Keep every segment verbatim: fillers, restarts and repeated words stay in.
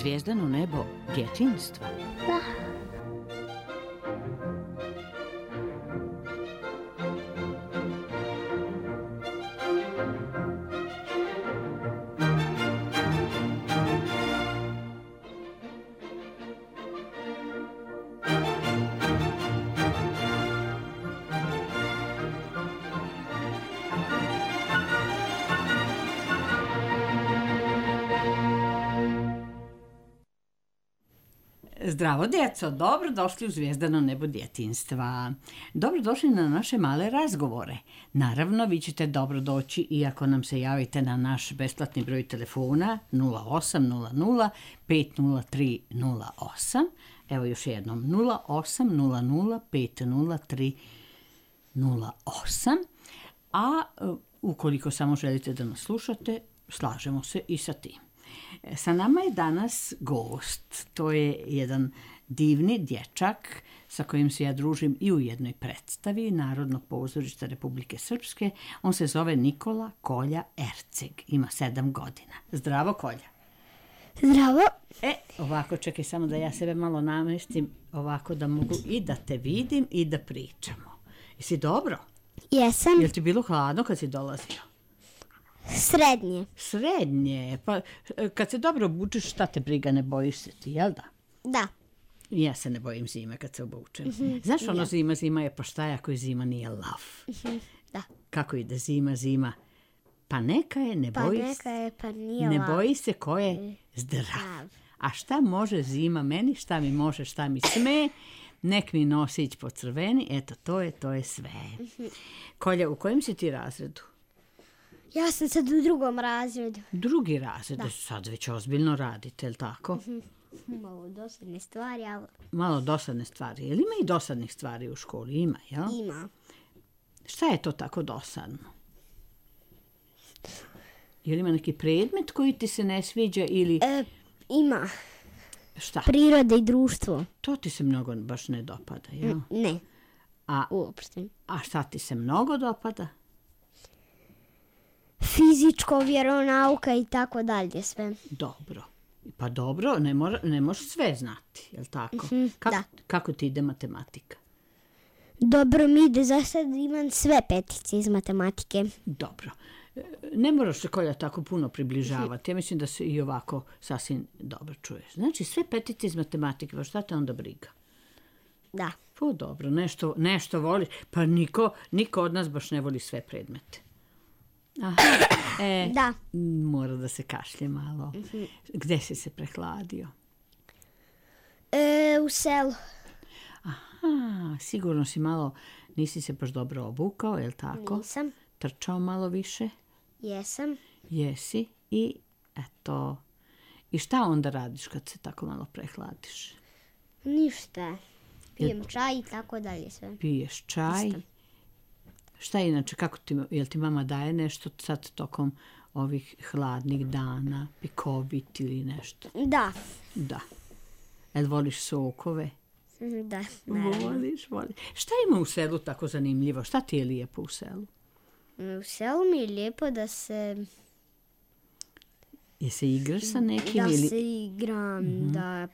zvijezdano nebo djetinjstva? Da. Zdravo djeco, dobrodošli u Zvijezdano nebo djetinjstva. Dobrodošli na naše male razgovore. Naravno, vi ćete dobro doći i ako nam se javite na naš besplatni broj telefona nula osam nula nula pet nula tri nula osam. Evo još jednom, nula osam nula nula pet nula tri nula osam. A ukoliko samo želite da nas slušate, slažemo se i sa tim. Sa nama je danas gost. To je jedan divni dječak sa kojim se ja družim i u jednoj predstavi Narodnog pozorišta Republike Srpske. On se zove Nikola Kolja Erceg. Ima sedam godina. Zdravo, Kolja. Zdravo. E, ovako, čekaj samo da ja sebe malo namestim, ovako da mogu i da te vidim i da pričamo. Jesi dobro? Jesam. Jel ti bilo hladno kad si dolazio? Srednje. Srednje. Pa kad se dobro obučeš, šta te briga, ne bojiš se ti, jel da? Da. Ja se ne bojim zime kad se obučem. Mm-hmm. Znaš ono, ja. zima, zima je, pa šta je ako je zima nije lav? Mm-hmm. Da. Kako ide zima, zima? Pa neka je, ne pa boji neka se. Je, pa nije ne lav. boji se ko je zdrav. A šta može zima meni, šta mi može, šta mi sme? Nek mi nosić po crveni, eto, to je, to je sve. Mm-hmm. Kolja, u kojem si ti razredu? Ja sam sad u drugom razredu. Drugi razred, da. Sad već ozbiljno radite, je li tako? Mm-hmm. Malo dosadne stvari, ali... Malo dosadne stvari. Je li ima i dosadnih stvari u školi? Ima, jel? Ima. Šta je to tako dosadno? Je li ima neki predmet koji ti se ne sviđa ili... E, ima. Šta? Priroda i društvo. To ti se mnogo baš ne dopada, jel? Ne. A, uopšte. A šta ti se mnogo dopada? Fizičko, vjeronauka i tako dalje sve. Dobro. Pa dobro, ne, mora, ne možeš sve znati, je li tako? Mm-hmm, kako, da. Kako ti ide matematika? Dobro mi ide, za sad imam sve petice iz matematike. Dobro. Ne moraš se, Kolja, tako puno približavati. Ja mislim da se i ovako sasvim dobro čuješ. Znači, sve petice iz matematike, pa šta te onda briga? Da. Pa dobro, nešto, nešto voliš. Pa niko, niko od nas baš ne voli sve predmete. Aha, e, da. Mora da se kašlje malo. Mm-hmm. Gde si se prehladio? E, u selu. Aha, sigurno si malo, nisi se baš dobro obukao, je li tako? Nisam. Trčao malo više? Jesam. Jesi i eto. I šta onda radiš kad se tako malo prehladiš? Ništa. Pijem čaj i tako dalje sve. Piješ čaj? Isto. Šta inače, kako ti, jel ti mama daje nešto sad tokom ovih hladnih dana, pikovit ili nešto? Da. Da. Jel voliš sokove? Da, naravno. Voliš, voliš. Šta ima u selu tako zanimljivo? Šta ti je lijepo u selu? U selu mi je lijepo da se... Je se igraš sa nekim? Da ili... se igram, mm-hmm. da...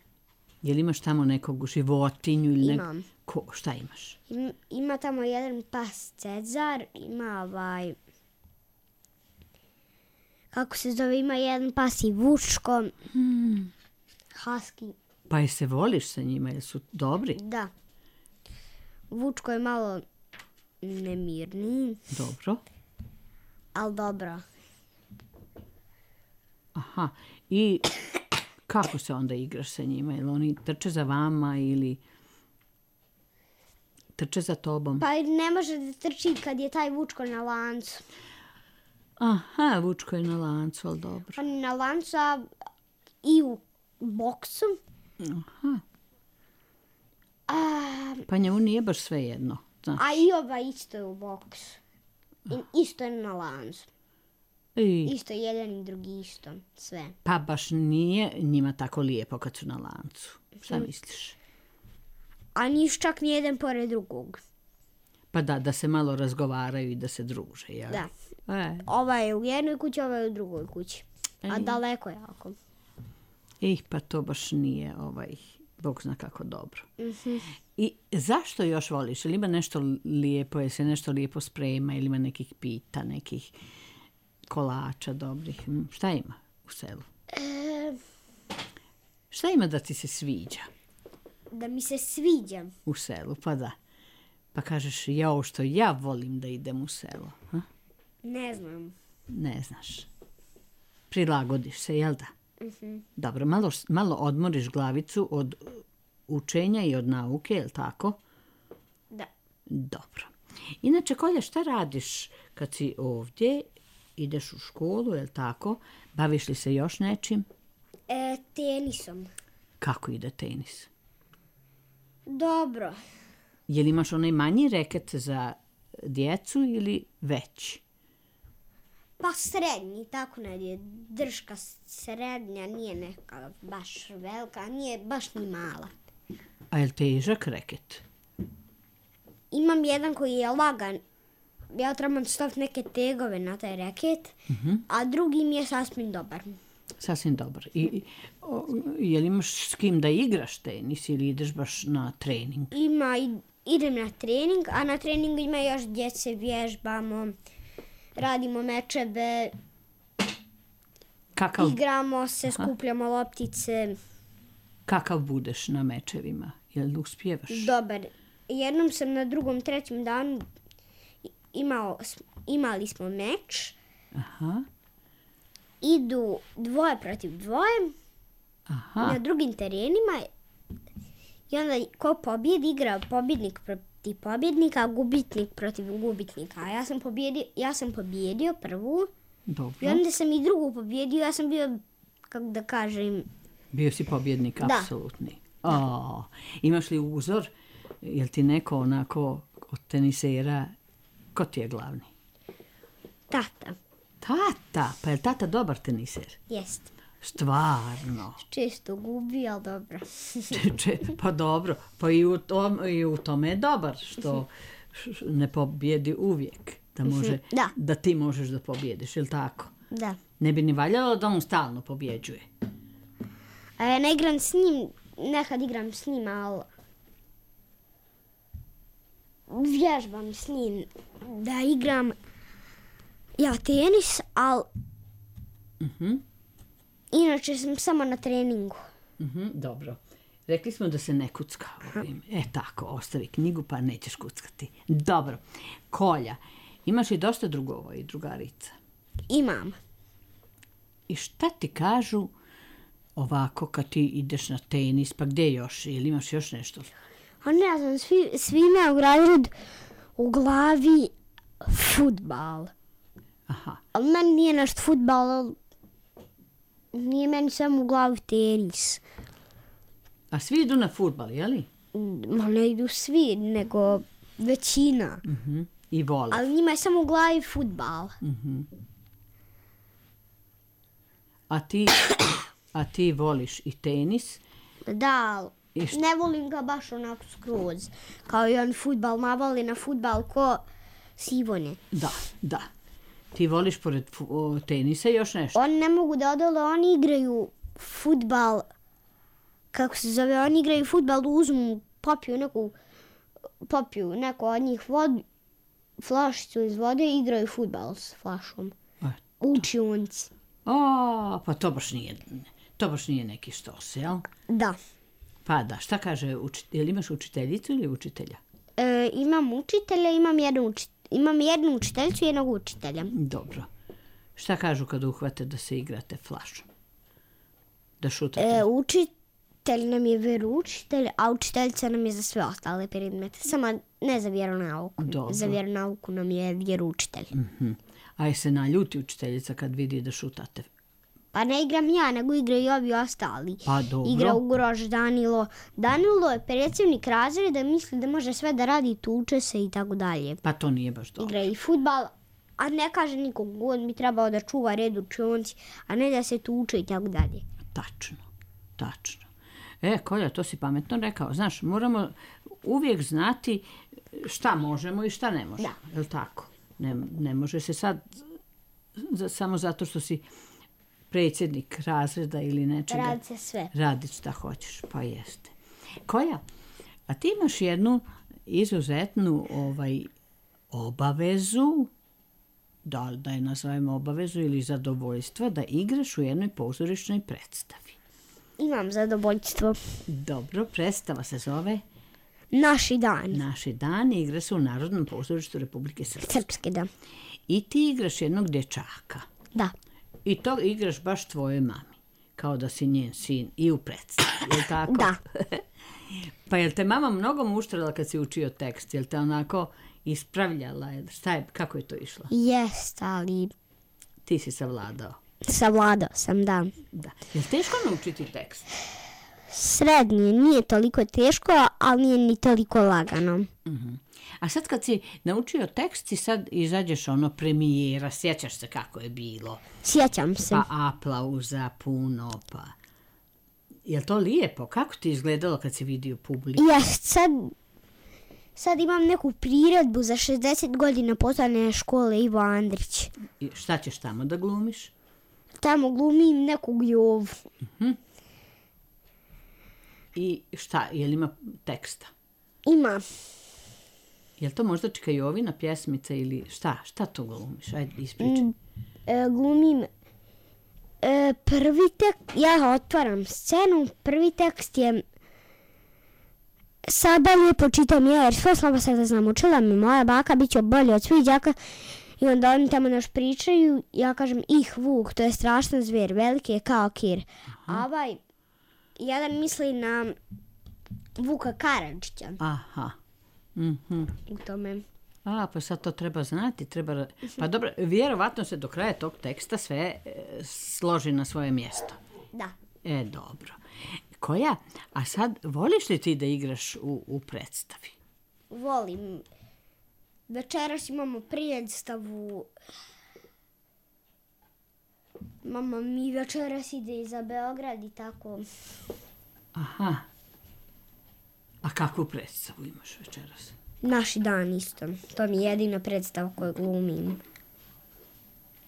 Jel imaš tamo nekog životinju? Ili Imam. Nek... Ko? Šta imaš? Im, ima tamo jedan pas Cezar, ima ovaj... Kako se zove, ima jedan pas i Vučko. Hmm. Husky. Pa je se voliš sa njima, jer su dobri? Da. Vučko je malo nemirniji. Dobro. Ali dobro. Aha, i kako se onda igraš sa njima? Jel oni trče za vama ili trče za tobom? Pa ne može da trči kad je taj Vučko na lancu. Aha, Vučko je na lancu, ali dobro. On je na lancu, a i u boksu. Aha. A, pa njemu nije baš sve jedno. Znaš. A i ova isto je u boksu. I isto je na lancu. I... Isto jedan i drugi isto, sve. Pa baš nije njima tako lijepo kad su na lancu. Šta hmm. misliš? A niš čak ni jedan pored drugog. Pa da, da se malo razgovaraju i da se druže, jel? Da. E. Ova je u jednoj kući, ova je u drugoj kući. A e. daleko jako. Ej, pa to baš nije, ovaj, Bog zna kako dobro. Mhm. I zašto još voliš? Ili ima nešto lijepo, je se nešto lijepo sprema, ili ima nekih pita, nekih kolača dobrih? Hm, Šta ima u selu? E, Šta ima da ti se sviđa da mi se sviđa. u selu? Pa da. Pa kažeš, jao što ja volim da idem u selo. Ha? Ne znam. Ne znaš. Prilagodiš se, jel da? Mhm. Dobro, malo, malo odmoriš glavicu od učenja i od nauke, jel tako? Da. Dobro. Inače, Kolja, šta radiš kad si ovdje, ideš u školu, jel tako? Baviš li se još nečim? E, tenisom. Kako ide tenis? Dobro. Je li imaš onaj manji reket za djecu ili veći? Pa srednji, tako negdje. Držka srednja, nije neka baš velika, nije baš ni mala. A je li težak reket? Imam jedan koji je lagan. Ja trebam staviti neke tegove na taj reket, a drugi mi je sasvim dobar. Sasvim dobar. I, o, je li imaš s kim da igraš tenis ili ideš baš na trening? Ima, i- idem na trening, a na treningu ima još djece, vježbamo, radimo mečeve, Kakav, igramo se, skupljamo loptice. kakav budeš na mečevima? Je li uspijevaš? Dobar. Jednom sam na drugom, trećem danu imao, imali smo meč. Aha, Idu dvoje protiv dvoje aha. na drugim terenima i onda ko pobjedi igra pobjednik protiv pobjednika, a gubitnik protiv gubitnika. A ja sam pobjedio, ja sam pobjedio prvu i Dobro. onda sam i drugu pobjedio. Ja sam bio, kako da kažem, Bio si pobjednik, Da. apsolutni. O, imaš li uzor? Jel ti neko onako od tenisera, ko ti je glavni? tata. Tata, pa je li tata dobar teniser? Jest. Stvarno. Često gubi, ali dobro. Če, pa dobro, pa i u, tom, i u tome je dobar što š- š- ne pobjedi uvijek. Da, može, Da. da ti možeš da pobjediš, ili tako? Da. Ne bi ni valjalo da on stalno pobjeđuje. A ja ne igram s njim, nekad igram s njim, ali vježbam s njim da igram ja tenis, ali Mhm, inače sam samo na treningu. mhm, dobro. Rekli smo da se ne kucka ovim. E tako, ostavi knjigu pa nećeš kuckati. Dobro. Kolja, imaš i dosta drugova i drugarica. Imam. I šta ti kažu ovako kad ti ideš na tenis, pa gdje još? Ili imaš još nešto? A ne znam, svi, svi imaju razred u glavi fudbal. Aha, Ali meni nije nešto fudbal, ali nije meni samo u glavi tenis. a svi idu na fudbal, jeli? Ma ne idu svi, nego većina. Mhm. I vole. Ali njima je samo u glavi fudbal. A ti, a ti voliš i tenis? Da, ali I šta- ne volim ga baš onako skroz. Kao i on fudbal, navali na fudbal ko Sivone. Da, da. Ti voliš pored fu- o, tenisa još nešto? Oni ne mogu da odole, oni igraju fudbal, kako se zove, oni igraju fudbal, uzmu, popiju neku, popiju neko od njih vod, flašicu iz vode i igraju fudbal s flašom. A, U učionci. A, pa to baš nije, to baš nije neki štos, jel? Da. Pa da, šta kaže, uči, jel imaš učiteljicu ili učitelja? E, imam učitelja, imam jednu, uči, imam jednu učiteljicu i jednog učitelja. Dobro. Šta kažu kad uhvate da se igrate flašom? Da šutate? E, učitelj nam je vjeroučitelj, a učiteljica nam je za sve ostale predmete. Samo ne za vjeronauku. Dobro. Za vjeronauku nam je vjeroučitelj. Mhm. A je se naljuti učiteljica kad vidi da šutate? Pa ne igram ja, nego igraju i ovi ostali. Pa dobro. Igra Ugroš, Danilo. Danilo je predsjednik razreda, misli da može sve da radi, tuče se i tako dalje. Pa to nije baš dobro. Igra i fudbal, a ne kaže nikog, on bi trebao da čuva red u učionci, a ne da se tuče i tako dalje. Tačno, tačno. E, Kolja, to si pametno rekao. Znaš, moramo uvijek znati šta možemo i šta ne možemo. Je li tako? Ne, ne može se sad za- samo zato što si predsjednik razreda ili nečega. Radi se sve. Radiš šta hoćeš, pa jeste. Koja? A ti imaš jednu izuzetnu ovaj, obavezu, da, da je nazovemo obavezu ili zadovoljstva, da igraš u jednoj pozorišnoj predstavi. Imam zadovoljstvo. Dobro, predstava se zove Naši dani. Naši dani, igra se u Narodnom pozorištu Republike Srpske. Srpske, da. I ti igraš jednog dječaka. Da. I to igraš baš tvojoj mami. Kao da si njen sin i u predstavi, je li tako? Da. Pa je li te mama mnogo muštrala kad si učio tekst? Je li te onako ispravljala? Šta je, kako je to išlo? Jest, ali Ti si savladao. savladao sam, da. Da. Je li teško naučiti tekst? Srednje, nije toliko teško, ali nije ni toliko lagano. Uh-huh. A sad kad si naučio tekst i sad izađeš ono premijera, sjećaš se kako je bilo? Sjećam se. Pa aplauza puno, pa... Je li to lijepo? Kako ti izgledalo kad si vidio publiku? Jest, sad, sad imam neku priredbu za šezdeset godina poslovne škole Ivo Andrić. I šta ćeš tamo da glumiš? Tamo glumim nekog Jovu. Uh-huh. I šta, je li ima teksta? Ima. Je li to možda Čika Jovina pjesmica ili šta? Šta to glumiš? Ajde, ispričaj. Mm, e, glumim e, prvi tekst, ja otvaram scenu, prvi tekst je sada lijepo čitam ja, jer sve slabo sam da znam, učila mi moja baka, bit će bolje od svih đaka. I onda oni tamo naš pričaju, ja kažem ih vuk, to je strašan zvijer, veliki je kao kir. A ovaj, jedan misli na Vuka Karadžića. Aha. Mhm. U tome. A, pa sad to treba znati, treba... Pa dobro, vjerovatno se do kraja tog teksta sve e, složi na svoje mjesto. Da. E, dobro. Koja? A sad, voliš li ti da igraš u, u predstavi? Volim. Večeras imamo predstavu. Mama mi večeras ide i za Beograd i tako. Aha. A kakvu predstavu imaš večeras? Naši dan isto. To mi je jedina predstava koju glumim.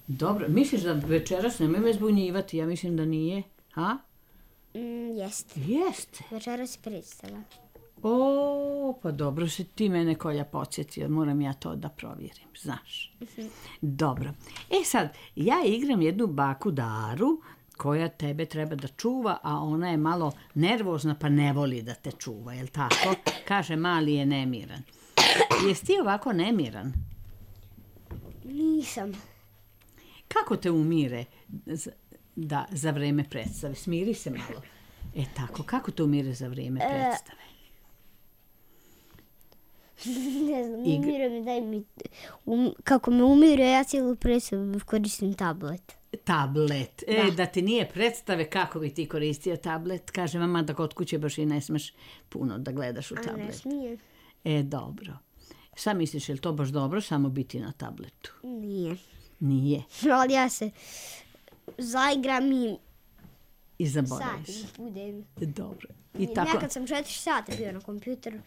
Dobro, misliš da večeras nemoj me zbunjivati? Ja mislim da nije. Ha? Mm, jeste. Jeste. Večeras je predstava. O, pa dobro se ti mene Kolja podsjetio. Moram ja to da provjerim, znaš. Uh-huh. Dobro. E sad, ja igram jednu baku Daru koja tebe treba da čuva, a ona je malo nervozna pa ne voli da te čuva, jel tako? Kaže, mali je nemiran. Jesi ti ovako nemiran? Nisam. Kako te umire da, za vreme predstave? Smiri se malo. E tako, kako te umire za vreme predstave? Ne znam, umire mi, daj mi... Um, kako me umire, ja cijelu predstavu koristim tablet. Tablet. E, da. Da ti nije predstave, kako bi ti koristio tablet? Kaže mama da kod kuće baš i ne smeš puno da gledaš u A tablet. ne smije. E, dobro. Šta misliš, je li to baš dobro samo biti na tabletu? Nije. Nije. Ali ja se zaigram i I zaboraviš. sati budem. Dobro. I I tako... Nekad sam četiri sata bio na kompjuter,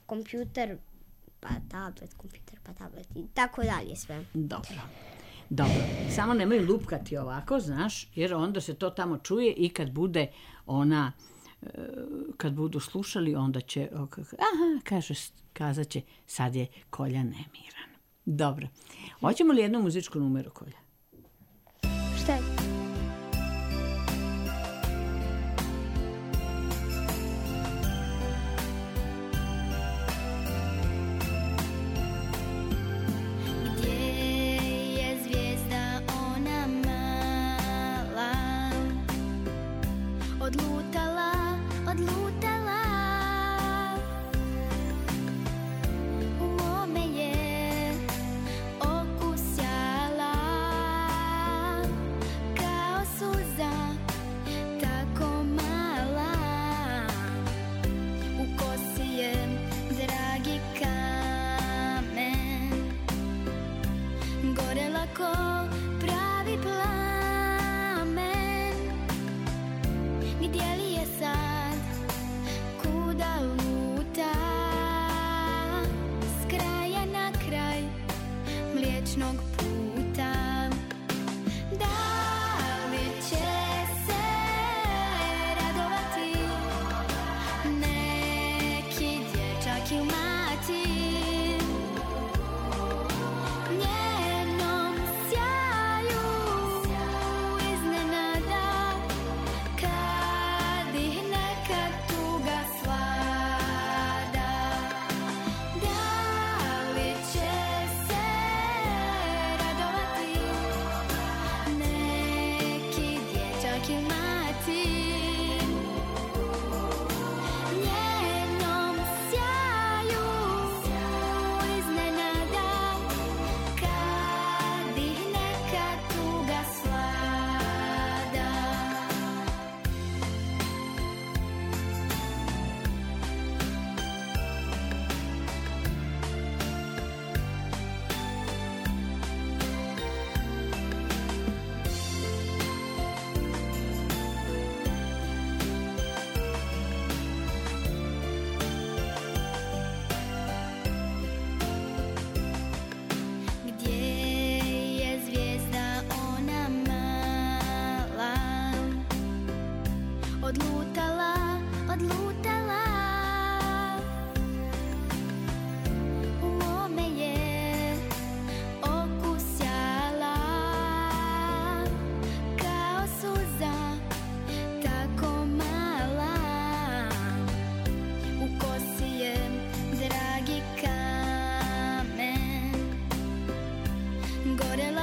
kompjuter, pa tablet, kompjuter, pa tablet i tako dalje sve. Dobro. Dobro. Samo nemoj lupkati ovako, znaš, jer onda se to tamo čuje i kad bude ona, kad budu slušali, onda će, aha, kaže, kazat će, sad je Kolja nemiran. Dobro. Hoćemo li jednu muzičku numeru, Kolja? Šta je? Odlutala, odlutala, u mome je okusjala, kao suza, tako mala, u kosi je dragi kamen, gorela ko pravi plamen. Gdje li je sad, kuda luta, s kraja na kraj mliječnog puta? Da li će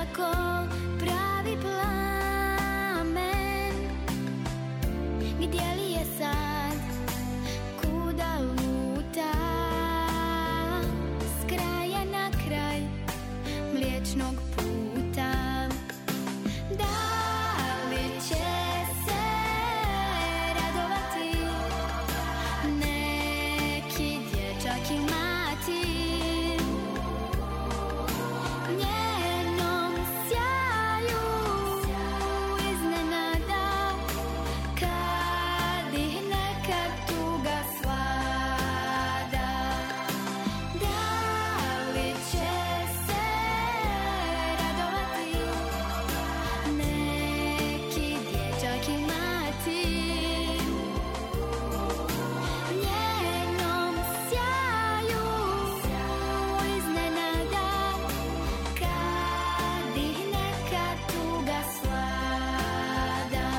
bila ko pravi plamen. Gdje li je sad, kuda luta, s kraja na kraj mliječnog puta. Da li će se radovati neki dječak ili mati njenom sjaju iznenada, kad ih neka tuga svlada. Da li će se radovati neki dječak ili mati njenom sjaju iznenada, kad ih neka tuga svlada.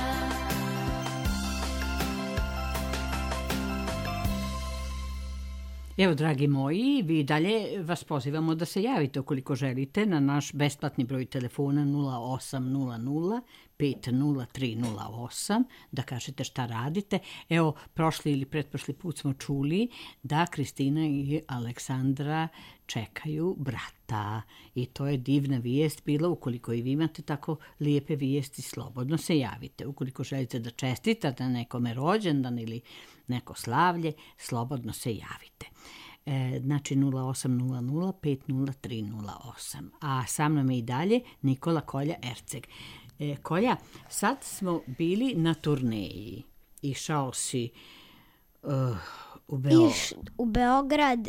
Evo, dragi moji, vi dalje vas pozivamo da se javite ukoliko želite na naš besplatni broj telefona nula osam nula nula pet nula tri nula osam, da kažete šta radite. Evo, prošli ili pretprošli put smo čuli da Kristina i Aleksandra čekaju brata i to je divna vijest bila. Ukoliko i vi imate tako lijepe vijesti, slobodno se javite. Ukoliko želite da čestitate nekome rođendan ili neko slavlje, slobodno se javite. E, znači nula osam nula nula pet nula tri nula osam. A sa mnom je i dalje Nikola Kolja Erceg. E, Kolja, sad smo bili na turneji. Išao si uh, u, Beo... Iš u Beograd,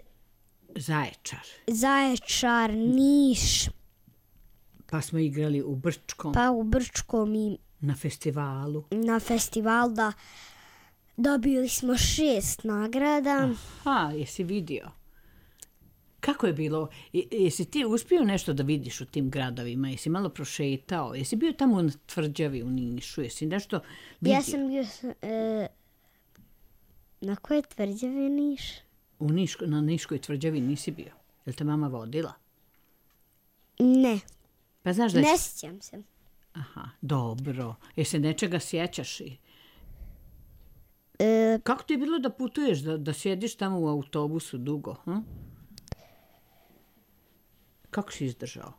Zaječar. Zaječar, Niš, Pa smo igrali u Brčkom, pa u Brčkom i na festivalu. na festival da dobili smo šest nagrada. Ha, jesi vidio? Kako je bilo? I- Jesi ti uspio nešto da vidiš u tim gradovima? Jesi malo prošetao? Jesi bio tamo na Tvrđavi u Nišu? Jesi nešto vidio? Ja sam bio s- e, na koje tvrđave Niš? U Niško, na Niškoj Tvrđavi nisi bio? Jel te mama vodila? Ne, Pa znaš da je... ne sjećam se. Aha, dobro. Jesi se nečega sjećaš? i- E, Kako ti je bilo da putuješ, da, da sjediš tamo u autobusu dugo? Hm? Kako si izdržao?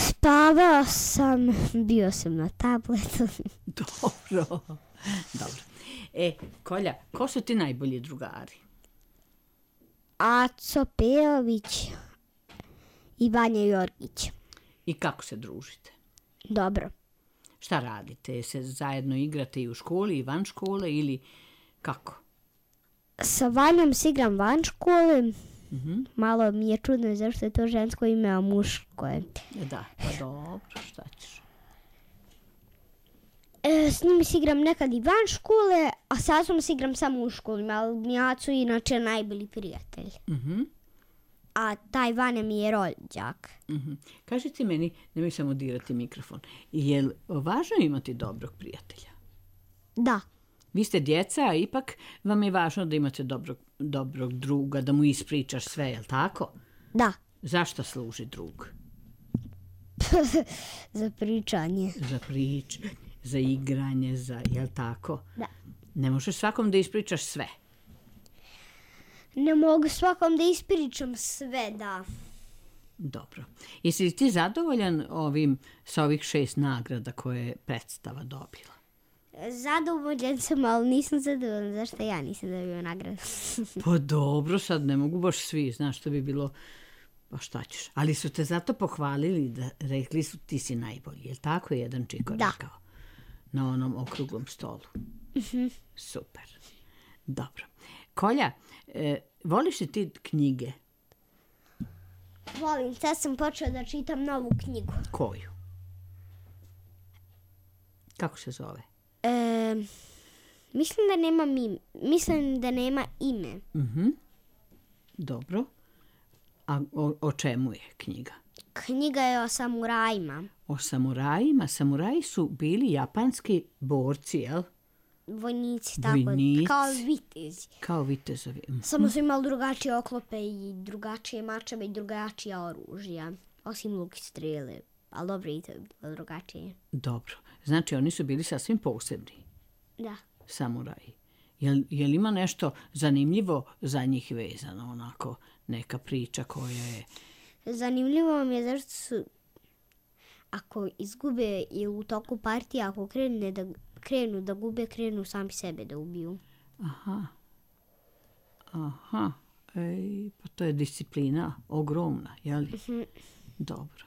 spavao sam, bio sam na tabletu. Dobro. Dobro. E, Kolja, ko su ti najbolji drugari? Aco Pejović i Vanja Jorgić. I kako se družite? Dobro. Šta radite? Se zajedno igrate i u školi i van škole ili kako? Sa Vanjom se igram van škole. Mhm. Malo mi je čudno zašto je to žensko ime, a muško je. E, Da, pa dobro, šta ćeš? E, s njim se igram nekad i van škole, a sa Acom se igram samo u školi, ali mi je Aco inače najbolji prijatelj. Mhm. A taj Vanja mi je rođak. Mhm. Kaži ti meni, nemoj samo dirati mikrofon, je li važno imati dobrog prijatelja? Da, Vi ste djeca, a ipak vam je važno da imate dobrog, dobrog druga, da mu ispričaš sve, je li tako? da, Zašto služi drug? za pričanje. Za prič, za igranje, za, je li tako? Da. Ne možeš svakom da ispričaš sve. Ne mogu svakom da ispričam sve, da. Dobro. Jesi li ti zadovoljan ovim, sa ovih šest nagrada koje je predstava dobila? Zadovoljan sam, ali nisam zadovoljan zašto ja nisam dobio nagradu. Pa dobro, sad ne mogu baš svi, znaš što bi bilo, pa šta ćeš. Ali su te zato pohvalili, da rekli su ti si najbolji, je li tako je jedan čiko Da. rekao? Na onom okruglom stolu. Super. Dobro. Kolja, e, voliš li ti knjige? Volim, sad sam počela da čitam novu knjigu. Koju? Kako se zove? E, mislim da nema ime. Mislim da nema ime. Mhm. Dobro. A o, o čemu je knjiga? Knjiga je o samurajima. O samurajima. Samuraji su bili japanski borci, jel? Vojnici, tako, Vojnici. kao vitezi. Kao vitezovi. Mhm. Samo su imali drugačije oklope i drugačije mačeve i drugačija oružja. Osim luk i strele. Ali dobro, i to je bilo drugačije. Dobro. Znači, oni su bili sasvim posebni Da. samuraji. Jel, jel ima nešto zanimljivo za njih vezano, onako, neka priča koja je... Zanimljivo mi je zašto su, ako izgube ili u toku partije, ako krene da, krenu da gube, krenu sami sebe da ubiju. Aha. Aha. Ej, pa to je disciplina ogromna, jel? Dobro.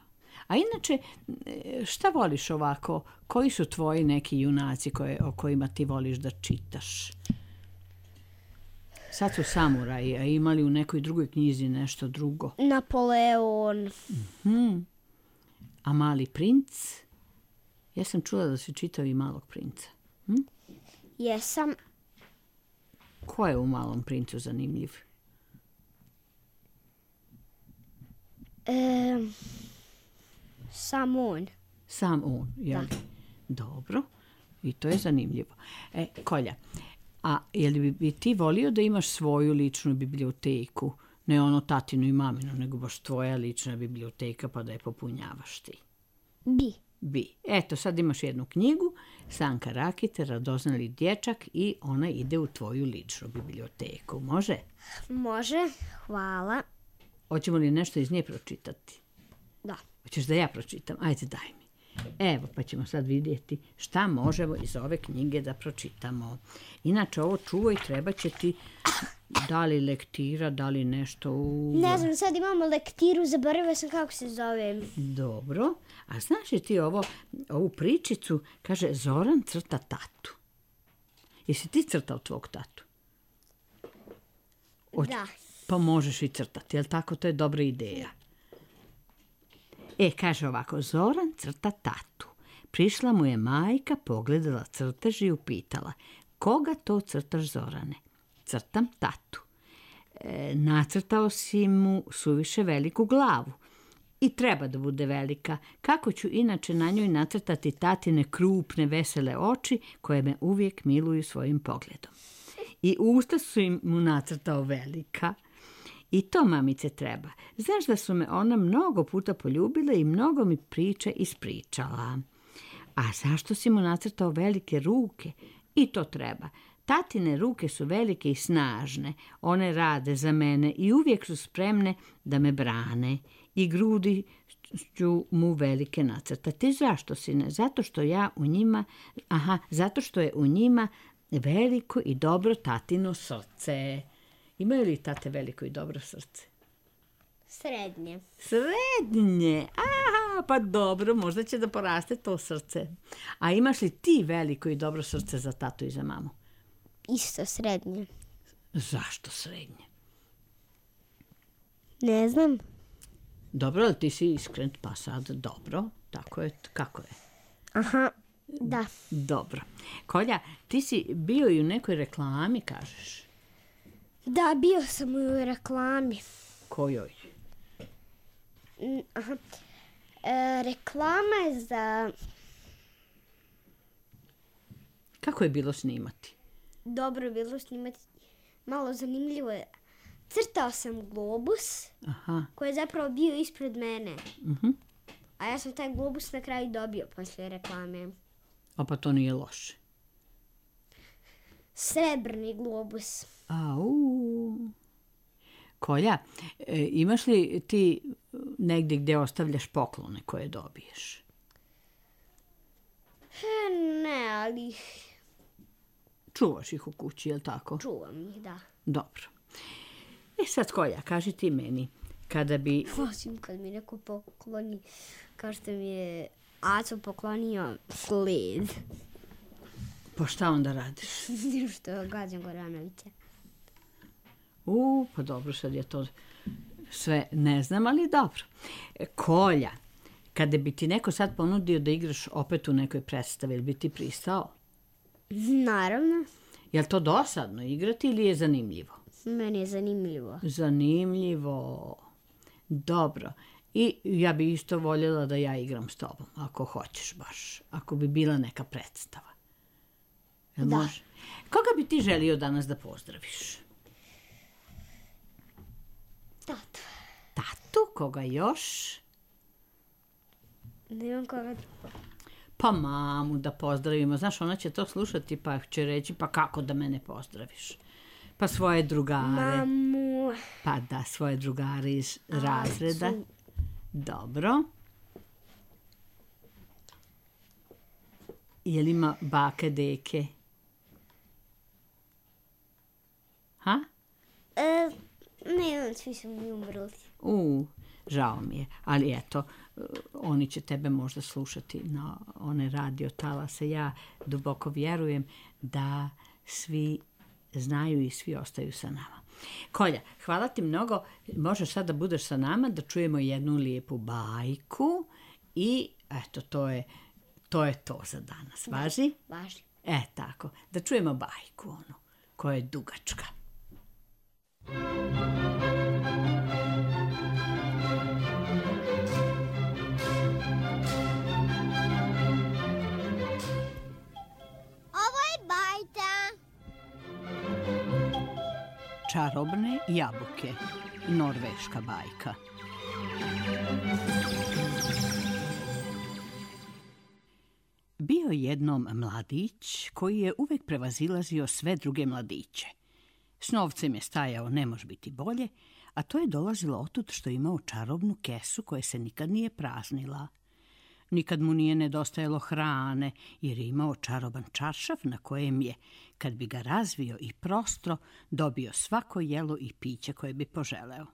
A inače, e, šta voliš ovako? Koji su tvoji neki junaci koje, o kojima ti voliš da čitaš? Sad su samuraji, a imali u nekoj drugoj knjizi nešto drugo. Napoleon. Hmm. A Mali princ? Ja sam čula da si čitao i Malog princa. Hm? Jesam. Ko je u Malom princu zanimljiv? E, sam on. Sam on, jel? Da. Dobro. I to je zanimljivo. E, Kolja, a je li bi, bi ti volio da imaš svoju ličnu biblioteku? Ne ono tatinu i maminu, nego baš tvoja lična biblioteka pa da je popunjavaš ti. Bi. Bi. Eto, sad imaš jednu knjigu, Sanka Rakite, Radoznali dječak i ona ide u tvoju ličnu biblioteku. Može? Može. Hvala. Hoćemo li nešto iz nje pročitati? Da. Hoćeš da ja pročitam? Ajde, daj mi. Evo, pa ćemo sad vidjeti šta možemo iz ove knjige da pročitamo. Inače, ovo čuvaj, treba će ti da li lektira, da li nešto u... Ne znam, sad imamo lektiru, zaboravila sam kako se zove. Dobro. A znaš li ti ovo, ovu pričicu, kaže Zoran crta tatu. Jesi ti crtao tvog tatu? Hoć- Da. Pa možeš i crtati, jel tako? To je dobra ideja. E, kaže ovako, Zoran crta tatu. Prišla mu je majka, pogledala crtež i upitala, koga to crtaš, Zorane? Crtam tatu. E, nacrtao si mu suviše veliku glavu. I treba da bude velika. Kako ću inače na njoj nacrtati tatine krupne, vesele oči koje me uvijek miluju svojim pogledom. I usta su im mu nacrtao velika. I to, mamice, treba. Znaš da su me ona mnogo puta poljubila i mnogo mi priče ispričala. A zašto si mu nacrtao velike ruke? I to treba. Tatine ruke su velike i snažne. One rade za mene i uvijek su spremne da me brane. I grudi ću mu velike nacrtati. Zašto, sine? Zato što ja u njima... Aha, zato što je u njima veliko i dobro tatino srce. Imaju li tate veliko i dobro srce? Srednje. Srednje. Aha, pa dobro, možda će da poraste to srce. A imaš li ti veliko i dobro srce za tatu i za mamu? Isto srednje. Zašto srednje? Ne znam. Dobro, ali ti si iskren, pa sad dobro. Tako je, kako je? Aha, da. Dobro. Kolja, ti si bio i u nekoj reklami, kažeš. Da, bio sam u reklami. Kojoj? Mm, Aha. E, reklama je za... Kako je bilo snimati? Dobro bilo snimati. Malo zanimljivo je. Crtao sam globus Aha. koji je zapravo bio ispred mene. Mhm. A ja sam taj globus na kraju dobio poslije reklame. A pa to nije loše. Srebrni globus. Au. Kolja, e, imaš li ti negdje gdje ostavljaš poklone koje dobiješ? E, ne, ali Čuvaš ih u kući, je li tako? čuvam ih, da. Dobro. E sad, Kolja, kaži ti meni, kada bi... Osim kad mi neko pokloni, kao što mi je Aco poklonio sled. Pa šta onda radiš? Što gađam Goranovića. U, pa dobro, sad je to sve ne znam, ali dobro. E, Kolja, kada bi ti neko sad ponudio da igraš opet u nekoj predstavi, ili bi ti pristao? Naravno, Je li to dosadno igrati ili je zanimljivo? meni je zanimljivo. Zanimljivo. Dobro. I ja bi isto voljela da ja igram s tobom, ako hoćeš baš. Ako bi bila neka predstava. Jel Da. može? Koga bi ti želio danas da pozdraviš? Tato. Tatu? Koga još? Nemam koga drugo. Pa mamu da pozdravimo. Znaš, ona će to slušati pa će reći, pa kako da mene pozdraviš? Pa svoje drugare. Mamu. Pa da, svoje drugare iz razreda. Acu. Dobro. Je li ima bake, deke? Ha? E, nemam, svi su mi umrli. U, žao mi je. Ali eto, oni će tebe možda slušati na one radio talase. Ja duboko vjerujem da svi znaju i svi ostaju sa nama. Kolja, hvala ti mnogo. Možeš sad da budeš sa nama, da čujemo jednu lijepu bajku i eto, to je to, je to za danas. Važi? Važi. E, tako. Da čujemo bajku, onu, koja je dugačka. Ovo je bajka. Čarobne jabuke. Norveška bajka. Bio jednom mladić koji je uvek prevazilazio sve druge mladiće. S novcem je stajao ne može biti bolje, a to je dolazilo otud što je imao čarobnu kesu koja se nikad nije praznila. Nikad mu nije nedostajalo hrane, jer je imao čaroban čaršaf na kojem je, kad bi ga razvio i prostro, dobio svako jelo i piće koje bi poželeo.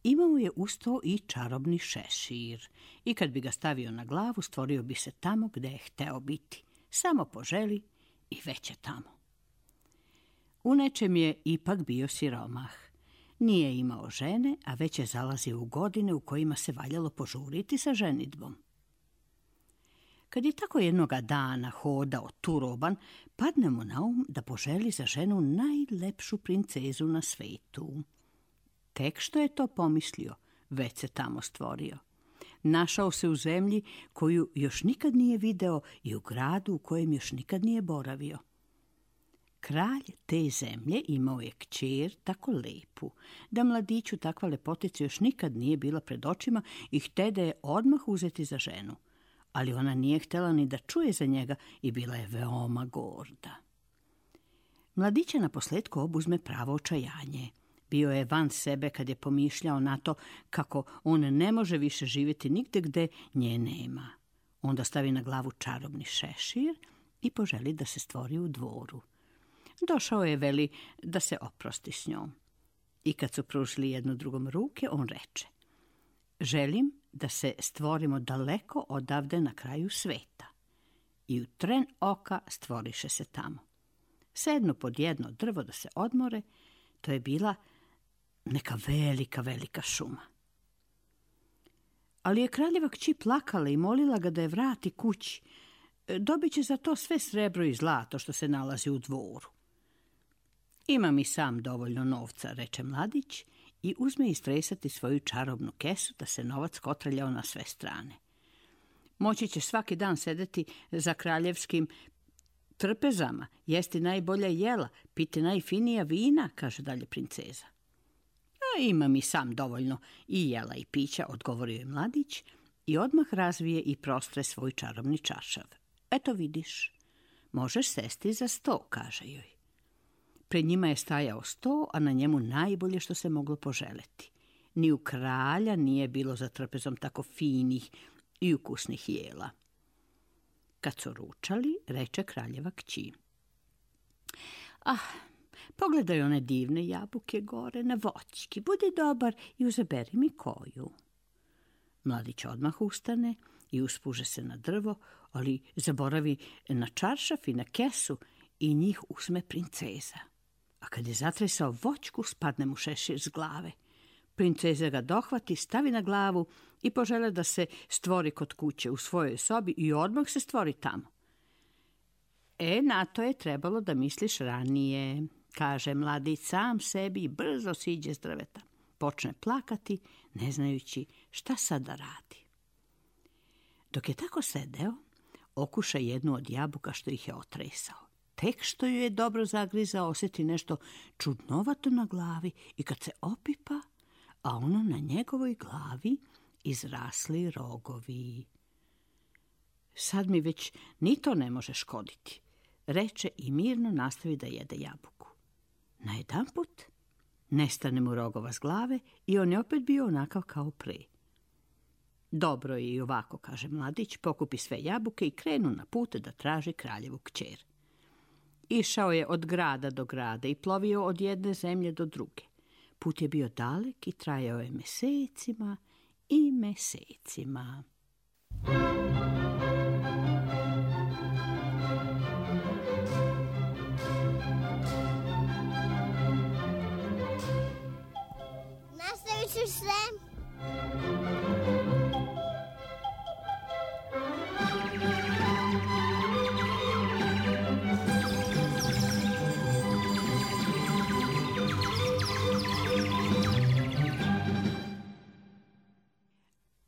Imao je uz to i čarobni šešir i kad bi ga stavio na glavu, stvorio bi se tamo gde je hteo biti. Samo poželi i već je tamo. U nečem je ipak bio siromah. Nije imao žene, a već je zalazio u godine u kojima se valjalo požuriti sa ženidbom. Kad je tako jednoga dana hodao turoban, padne mu na um da poželi za ženu najlepšu princezu na svetu. Tek što je to pomislio, već se tamo stvorio. Našao se u zemlji koju još nikad nije video i u gradu u kojem još nikad nije boravio. Kralj te zemlje imao je kćer tako lepu, da mladiću takva lepotica još nikad nije bila pred očima i htede je odmah uzeti za ženu. Ali ona nije htjela ni da čuje za njega i bila je veoma gorda. Mladića na posletku obuzme pravo očajanje. Bio je van sebe kad je pomišljao na to kako on ne može više živjeti nigde gde nje nema. Onda stavi na glavu čarobni šešir i poželi da se stvori u dvoru. Došao je, veli, da se oprosti s njom. I kad su pružili jedno drugom ruke, on reče: želim da se stvorimo daleko odavde na kraju sveta. I u tren oka stvoriše se tamo. Sednu pod jedno drvo da se odmore, to je bila neka velika, velika šuma. Ali je kraljeva kći plakala i molila ga da je vrati kući. Dobit će za to sve srebro i zlato što se nalazi u dvoru. Imam i sam dovoljno novca, reče mladić, i uzme istresati svoju čarobnu kesu da se novac kotrljao na sve strane. Moći će svaki dan sedeti za kraljevskim trpezama, jesti najbolja jela, piti najfinija vina, kaže dalje princeza. A imam i sam dovoljno i jela i pića, odgovorio je mladić i odmah razvije i prostre svoj čarobni čaršav. Eto vidiš, možeš sesti za sto, kaže joj. Pred njima je stajao sto, a na njemu najbolje što se moglo poželeti. Ni u kralja nije bilo za trpezom tako finih i ukusnih jela. Kad su ručali, reče kraljeva kći: ah, pogledaj one divne jabuke gore na voćki, budi dobar i uzaberi mi koju. Mladić odmah ustane i uspuže se na drvo, ali zaboravi na čaršaf i na kesu i njih uzme princeza. A kad je zatresao voćku, spadne mu šešir s glave. Princeza ga dohvati, stavi na glavu i požele da se stvori kod kuće u svojoj sobi i odmah se stvori tamo. E, na to je trebalo da misliš ranije, kaže mladić sam sebi i brzo siđe s drveta. Počne plakati, ne znajući šta sad da radi. Dok je tako sedeo, okuša jednu od jabuka što ih je otresao. Tek što ju je dobro zagrizao, osjeti nešto čudnovato na glavi i kad se opipa, a ono na njegovoj glavi izrasli rogovi. Sad mi već ni to ne može škoditi, reče i mirno nastavi da jede jabuku. Najedanput nestane mu Rogova s glave i on je opet bio onakav kao pre. Dobro je i ovako, kaže mladić, pokupi sve jabuke i krenu na put da traži kraljevu kćer. Išao je od grada do grada i plovio od jedne zemlje do druge. Put je bio dalek i trajao je mesecima i mesecima. Nastavit ću se.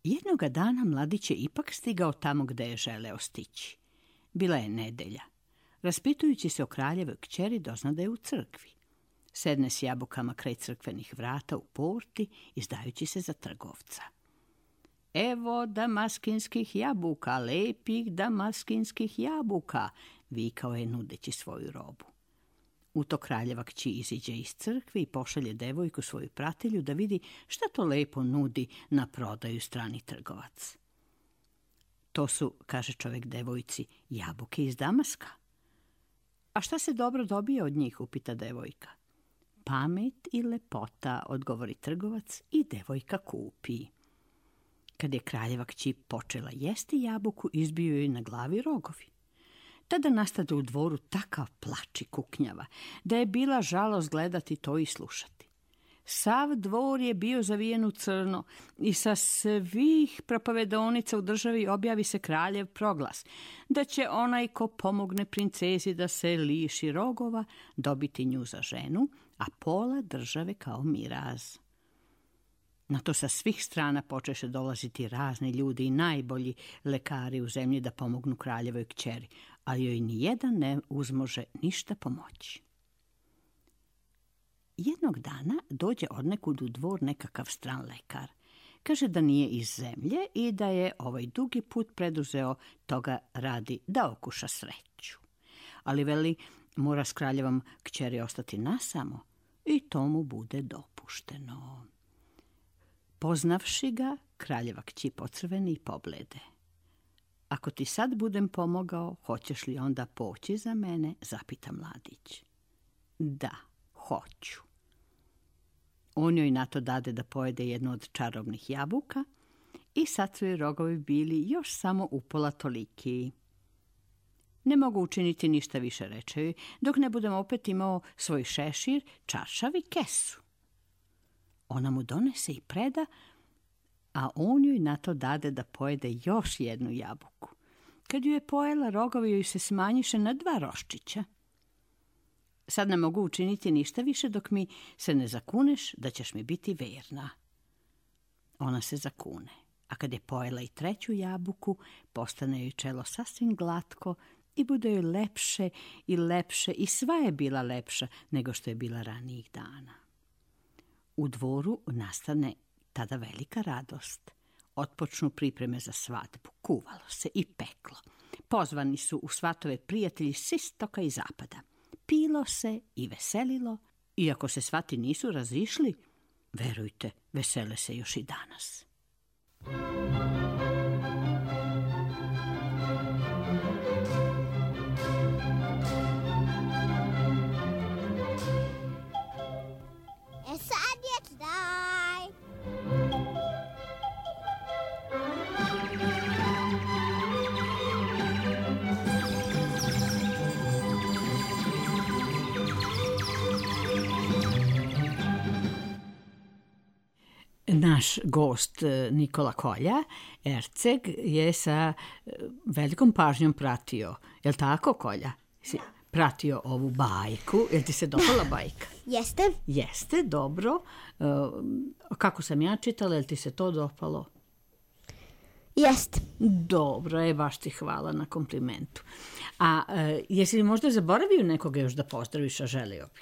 Jednoga dana mladić je ipak stigao tamo gde je želeo stići. Bila je nedelja. Raspitujući se o kraljevoj kćeri, dozna da je u crkvi. Sedne s jabukama kraj crkvenih vrata u porti, izdajući se za trgovca. Evo damaskinskih jabuka, lepih damaskinskih jabuka, vikao je nudeći svoju robu. U to kraljeva kći iziđe iz crkve i pošalje devojku svoju pratilju da vidi šta to lepo nudi na prodaju strani trgovac. To su, kaže čovjek devojci, jabuke iz Damaska. A šta se dobro dobije od njih, upita devojka. Pamet i lepota, odgovori trgovac i devojka kupi. Kad je kraljeva kći počela jesti jabuku, izbio joj na glavi rogovi. Tada nastade u dvoru takav plač i kuknjava, da je bila žalost gledati to i slušati. Sav dvor je bio zavijen u crno i sa svih propovedonica u državi objavi se kraljev proglas, da će onaj ko pomogne princezi da se liši rogova dobiti nju za ženu, a pola države kao miraz. Na to sa svih strana počeše dolaziti razni ljudi i najbolji lekari u zemlji da pomognu kraljevoj kćeri, ali joj ni jedan ne uzmože ništa pomoći. Jednog dana dođe odnekud u dvor nekakav stran lekar. Kaže da nije iz zemlje i da je ovaj dugi put preduzeo toga radi da okuša sreću. Ali veli, mora s kraljevom kćeri ostati nasamo i to mu bude dopušteno. Poznavši ga, kraljeva kći pocrveni i poblede. Ako ti sad budem pomogao, hoćeš li onda poći za mene, zapita mladić. Da, hoću. On joj na to dade da pojede jednu od čarobnih jabuka i sad su joj rogovi bili još samo upola toliki. Ne mogu učiniti ništa više, reče joj, dok ne budem opet imao svoj šešir, čaršav i kesu. Ona mu donese i preda, a on joj na to dade da pojede još jednu jabuku. Kad ju je pojela, rogovi joj se smanjiše na dva roščića. Sad ne mogu učiniti ništa više dok mi se ne zakuneš da ćeš mi biti verna. Ona se zakune, a kad je pojela i treću jabuku, postane joj čelo sasvim glatko i bude joj lepše i lepše i sva je bila lepša nego što je bila ranijih dana. U dvoru nastane tada velika radost. Otpočnu pripreme za svadbu, kuvalo se i peklo. Pozvani su u svatove prijatelji s istoka i zapada. Pilo se i veselilo, iako se svati nisu razišli, verujte, vesele se još i danas. E sad je taj. Naš gost Nikola Kolja, Erceg, je sa velikom pažnjom pratio. Jel' tako, Kolja? Si pratio ovu bajku. Jel' ti se dopala bajka? Jeste. Jeste, dobro. Kako sam ja čitala, jel' ti se to dopalo? Jeste. Dobro, je, baš ti hvala na komplimentu. A jesi li možda zaboravio nekoga još da pozdraviš, a želio bi?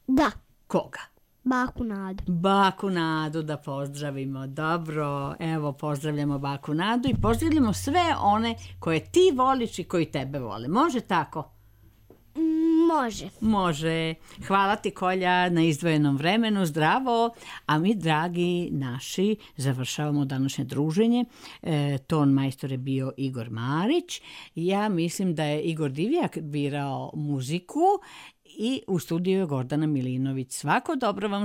Da. Koga? Baku Nadu. Baku Nadu da pozdravimo. Dobro, evo pozdravljamo Baku Nadu i pozdravljamo sve one koje ti voliš i koji tebe vole. Može tako? Može. Može. Hvala ti, Kolja, na izdvojenom vremenu. Zdravo. A mi, dragi naši, završavamo današnje druženje. E, ton majstor je bio Igor Marić. Ja mislim da je Igor Divjak birao muziku i u studiju je Gordana Milinović. Svako dobro vam želim.